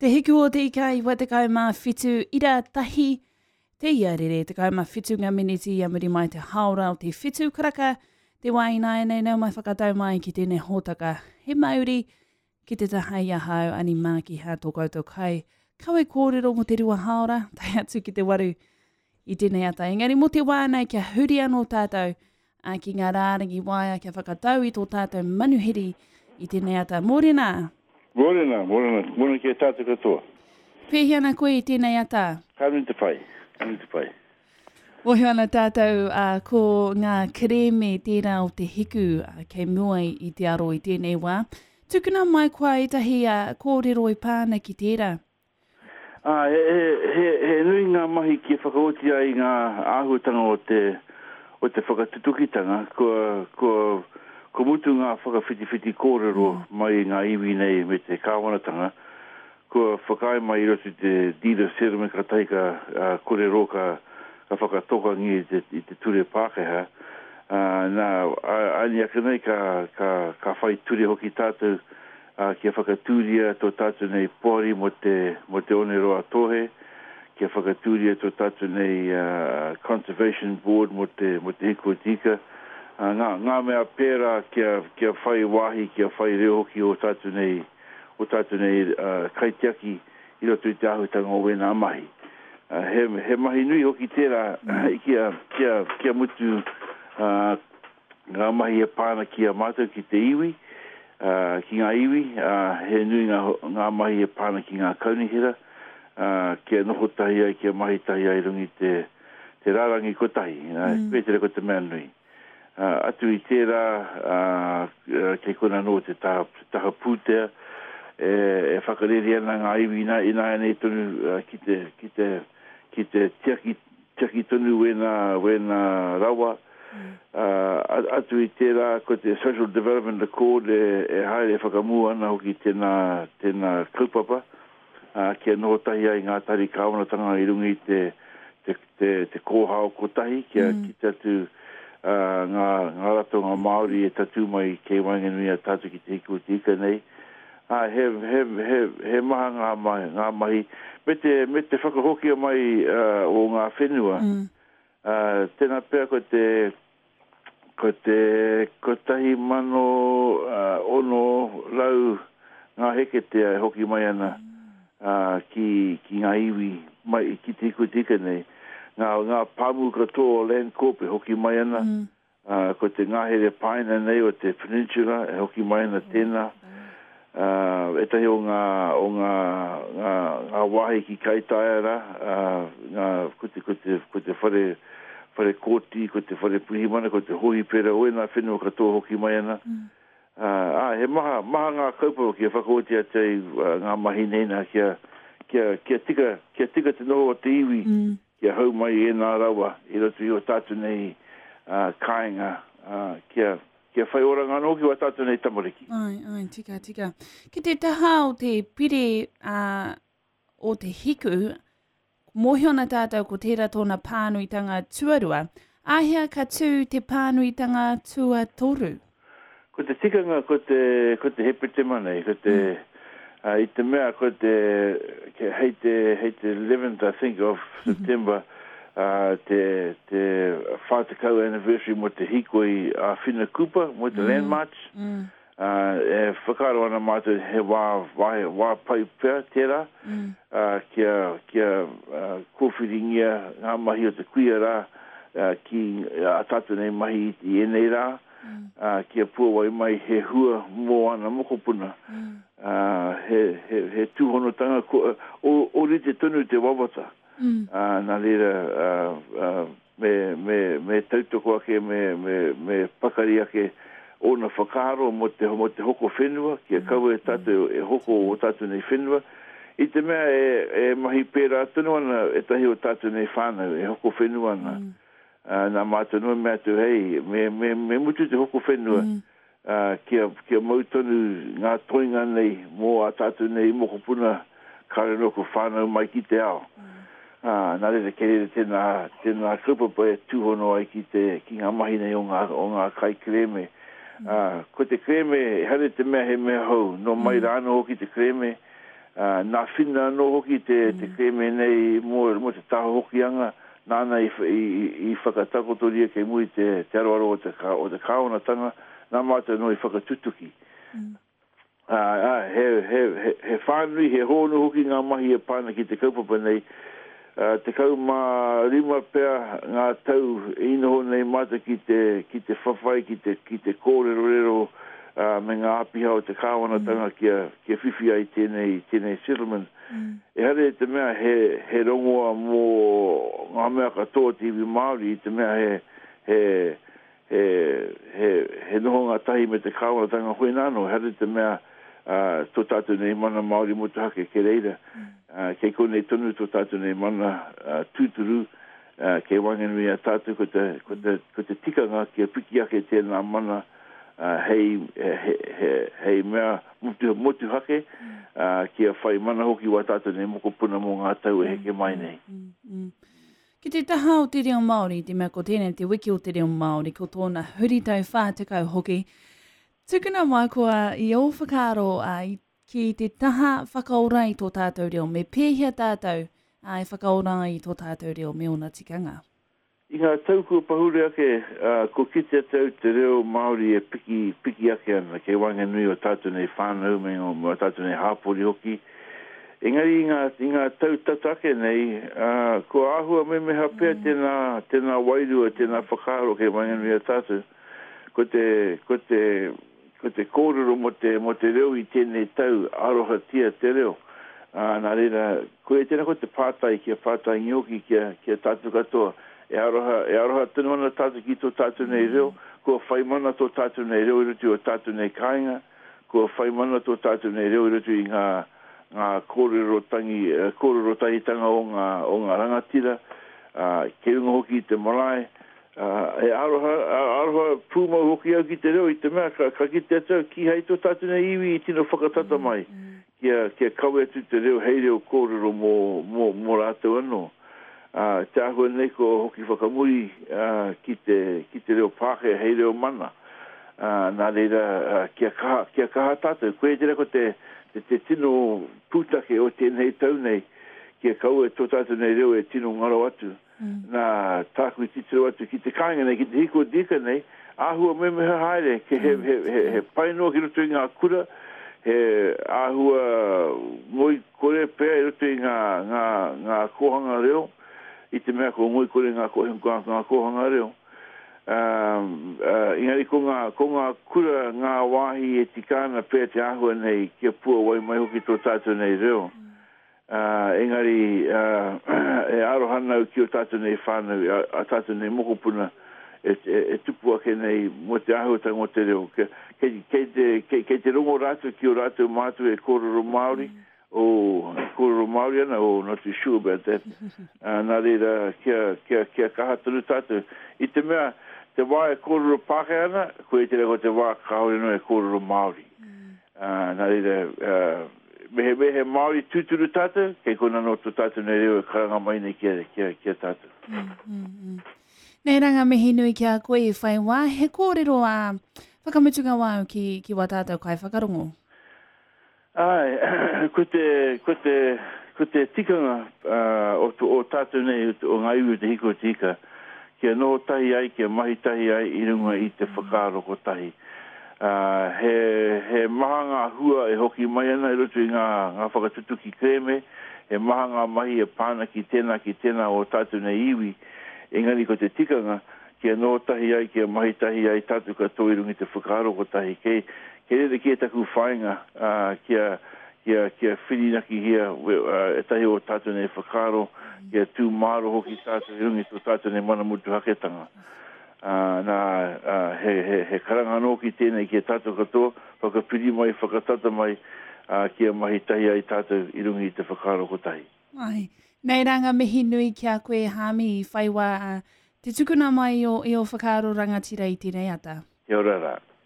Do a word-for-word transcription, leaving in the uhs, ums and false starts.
Te hiku o te ika i watekau mā whitu ira tahi, te ia rere tekau mā whitu ngā miniti ia muri mai te haora o te whitu karaka, te wā ināianei nau mai whakatau mai ki tēnei hōtaka. He mauri ki te taha i ahau ani Mākiha tō koutou kai. Kawe kōrero mō te rua haora, tae atu ki te waru i tēnei ata. Engari mō te wā nei kia huri anō tātou a, ki ngā rārangi waea kia whakatau i tō tātou manuhiri i tēnei ata. Mōrena! Mōrena, mōrena, mōrena ki e tātou katoa. Pēhi ana koe i tēnei ata? Ka nui te pai, ka nui te pai. Mōhio ana tātou uh, ko ngā kerēme tērā o te hiku uh, kei mua i te aro i tēnei wā. Tukuna mai koa ētahi uh, kōrero i pāna ki tērā. Ah, he, he, he, he nui ngā mahi ki whakaoti ai ngā āhuatanga o te, o te whakatutukitanga, kua, kua, ko mutu ngā whakawhitiwhiti kōrero mm. mai i ngā iwi nei me te kāwanatanga, kua whakaae mai i roto i te deed of settlement ka tahi ka uh, kore ka, ka whakatokangi i te, i te ture Pākehā. Uh, nā, ani ake nei ka, ka, ka whai ture hoki tātou uh, kia whakatūria tō tātou nei poari mo te, mo te Oneroa Tohe, kia whakatūria tō tātou nei uh, Conservation Board mo te, mo te hiku o te ika. Uh, ngā, ngā mea pērā kia, kia whai wāhi, kia whai reo hoki o tātou nei, o tātou nei uh, kaitiaki i roto i te āhutanga o wēnā mahi. Uh, he, he mahi nui hoki tērā mm. kia, kia, kia mutu uh, ngā mahi e pāna ki a mātou ki te iwi, uh, ki ngā iwi, uh, he nui ngā, ngā mahi e pāna ki ngā kaunihera, uh, kia noho tahi ai, kia mahi tahi ai rungi te, te rārangi kotahi, uh, mm. Pētere ko te mea nui. Uh, atu i tērā, uh, kei kona nō te taha, te taha pūtea, e, e whakareri ana ngā iwi ina, ināianei tonu uh, ki te, ki te, ki te tiaki, tiaki tonu wēnā, wēnā rawa. Mm. Uh, atu i tērā, ko te Social Development Accord e, e haere whakamua ana hoki tēnā, tēnā kaupapa, uh, kia noho tahi ai ngā tari kāwanatanga i runga i te, te, te, te kōhao kotahi, kia mm. kite atu uh, ngā, ngā ratonga Māori e tatū mai kei waenganui a tātou ki te hiku o te ika nei. Uh, he, he, he, he maha ngā mahi, ngā mahi, me te, me te whakahokia mai uh, o ngā whenua. Mm. Uh, tēnā pea ko te, ko te kotahi mano uh, ono rau ngā heketea e hoki mai ana uh, ki, ki ngā iwi mai, ki te hiku o te ika nei. Ngā, ngā pāmu katoa o Landcorp e hoki mai ana, mm. uh, ko te ngahere paina nei o te peninsula e hoki mai ana tēnā. Uh, etahi o ngā, o ngā, ngā, ngā wāhi ki Kaitaia rā, uh, ngā, ko te, ko te, ko te whare, whare kōti, ko te whare pirihimana, ko te hohipera, o ēnā whenua katoa hoki mai ana. Mm. Uh, ah, he maha, maha ngā kaupapa kia whakaoti atu ai uh, ngā mahi nei nā kia, kia, kia tika, kia tika te noho o te iwi, mm. kia hau mai e nā rawa i roto i o tātou nei uh, kāinga, uh, kia, kia whai oranga anō ki wā tātou nei tamariki. Ai, ai, tika, tika. Ki te taha o te pire uh, o te hiku, mōhio ana tātou ko tērā tōna pānuitanga tuarua. Āhea ka tū te pānuitanga tuatoru? Ko te tikanga ko te, ko te Hepetema nei, ko te, mm. uh, i te mea ko te, ke, hei te, hei te eleventh I think of September, uh, te, te whātekau anniversary mo te hikoi a Whina Cooper, mo te mm. Land March. Mm. Uh, e whakaaro ana mātou he wā, wā, wā pai pea tērā, mm. uh, kia, kia uh, kōwhiringia ngā mahi o te kuia rā, uh, ki a tātou nei mahi i ēnei rā, mm. uh, kia puawai mai he hua mō ana mokopuna. Mm. Uh, he, he, he tūhonotanga, ko, o, o rite tonu te wawata. Mm. Uh, nā reira, uh, uh, me, me, me tautoko ake, me, me, me pakari ake ōna whakaaro mo te, mo te hoko whenua, kia kaua e tātou e hoko o tātou nei whenua. I te mea e, e mahi pērā tonu ana ētahi o tātou nei whānau, e hoko whenua ana. Mm. Uh, nā mātou noa mea atu, hei, me, me, me mutu te hoko whenua, mm. uh, kia, kia mau tonu ngā toinga nei mō a tātou nei mokopuna kāre no ko whānau mai ki te ao. Mm. Uh, nā reira kei reira tēnā, tēnā kaupapa e tūhono ai ki, te, ki ngā mahi nei o ngā, o ngā kai kerēme. Uh, ko te kerēme, ehara te mea he mea hou, no mai mm. rāno hoki te kerēme, Uh, nā Whina anō hoki te, mm. te kerēme nei mō, mō te taha Hokianga, nāna i, i, i whakatakotoria kei muri te, te aroaro o te, o te kāwanatanga, nā mātou anō i whakatutuki. Mm. Uh, uh, he, he, he, he whānui, he hōnu hoki ngā mahi e pā ana ki te kaupapa nei. Uh, tekau mā rima pea ngā tau i noho nei mātou ki te, ki te whawhai, ki te, ki te kōrerorero, uh, me ngā āpiha o te kāwanatanga mm. kia, kia whiwhi ai tēnei, tēnei settlement. Mm. Ehara i te mea he, he rongoa mō ngā mea katoa te iwi Māori, i te mea he, he, he, he, he nohonga tahi me te kāwanatanga hoi nāno, ehara i te mea uh, tō tātou nei mana Māori motuhake ke reira. Mm. Uh, kei konei tonu tō tātou nei mana uh, tūturu, uh, kei waenganui a tātou ko te, ko te, ko te tikanga kia piki ake tēnā mana uh, hei, he, he, hei mea motu, motuhake, mm. uh, kia whai mana hoki wā tātou nei mokopuna mō ngā tau e heke mai nei. Mm, mm. Ki te taha o te reo Māori, te mea ko tēnei te wiki o te reo Māori, ko tōna huritau whā tekau hoki. Tukuna mai koa i ō whakaaro uh, ki te taha whakaora i tō tātou reo, me pēhea tātou uh, e whakaora i tō tātou reo me ōna tikanga. I ngā tau kua pahure ake, uh, ko kitea te au te reo Māori e piki, piki ake ana, kei waenganui o tātou nei whānau me o tātou nei hāpori hoki. Engari i ngā, i ngā tau tata ake nei, uh, ko āhua memeha pea mm. tēnā, tēnā wairua, tēnā whakaaro kei waenganui a tātou. Ko te, ko te, ko te kōrero mō te, mō te reo i tēnei tau, arohatia te reo. Uh, nā reira, ko e tēnā ko te pātai, kia pātai hoki, kia, kia tātou katoa. E aroha, e aroha tonu ana tātou ki tō tātou nei reo, kua whai mana tō tātou nei reo i roto i o tātou nei kāinga, kua whai mana tō tātou nei reo i roto i ngā, ngā kōrero tangi, kōrero tahitanga o ngā, o ngā rangatira, uh, kei runga hoki i te marae, uh, e aroha, aroha pūmau hoki au ki te reo i te mea, ka, ka kite atu au kīhai tō tātou nei iwi i tino whakatata mai, kia, kia kawe atu te reo hei reo kōrero mō, mō, mō rātou anō. Uh, te āhua nei ko hoki whakamuri uh, ki, te, ki te reo Pākehā hei reo mana. Uh, nā reira, uh, kia kaha, kia kaha tātou. Koe tērā ko te, te, te tino pūtake o tēnei tau nei, kia kaua tō tātou nei reo e tino ngaro atu. Mm. Nā tāku titiro atu ki te kāinga nei, ki te hiko dika nei, āhua memeha haere, ke he, he, he, he pai noa ki roto i ngā kura, he āhua ngoi kore pea i roto i ngā, ngā, ngā kōhanga reo, i te mea ko ngoi kore ngā, ngā, ngā kōhanga reo. Um, uh, engari ko ngā, ko ngā kura, ngā wāhi e tika ana pea te āhua nei kia puawai mai hoki tō tātou nei reo. Mm. Uh, engari uh, e aroha ana au ki o tātou nei whānau, a, a tātou nei mokopuna e, e, e tupu ake nei mō te āhuatanga o te reo. Kei, kei, te, kei, kei te rongo rātou ki o rātou mātua e kōrero Māori, mm. O kōrero Māori ana, oh, not too sure about that. Uh, nā reira, kia, kia, kia kaha tonu tātou. I te mea, te wā e kōrero Pākehā ana, koe te ko te wā kāore no e kōrero Māori. Mm. Uh, nā reira, uh, me he, me he Māori tūturu tātou, kei kona no tō tātou nei reo e karanga mai nei kia, kia, kia tātou. Mm, mm, mm. Nei ranga mihi nui ki a koe i whai wā, he kōrero a whakamutunga wāu ki, ki wā tātou kai whakarongo. Ai, ko te, ko te, ko te tikanga uh, o, o tātou nei, o ngā iwi o te hiko o te ika, kia noho tahi ai, kia mahi tahi ai i runga i te whakaaro kotahi. Uh, he, he maha ngā hua e hoki mai ana i roto i ngā, ngā whakatutuki kerēme, he maha ngā mahi e pāna ki tēnā, ki tēnā o tātou nei iwi, engari ko te tikanga, kia noho tahi ai, kia mahi tahi ai tātou katoa i runga i te whakaaro kotahi. Kei, kei reira ki e taku whāinga, uh, kia, kia, kia whirinakihia uh, e tahi o tātou nei whakaaro, kia tū māro hoki tātou i runga i tō tātou nei mana motuhaketanga. Uh, nā, uh, he, he, he karanga anō ki tēnei ki a tātou katoa, whakapiri mai, whakatata mai, uh, kia mahi tahi ai tātou i runga i te whakaaro kotahi. Ai, nei ranga mihi nui ki a koe Hāmi i whai wā, uh, te tukuna mai i o, i o whakaaro rangatira i tēnei ata. Kia ora rā.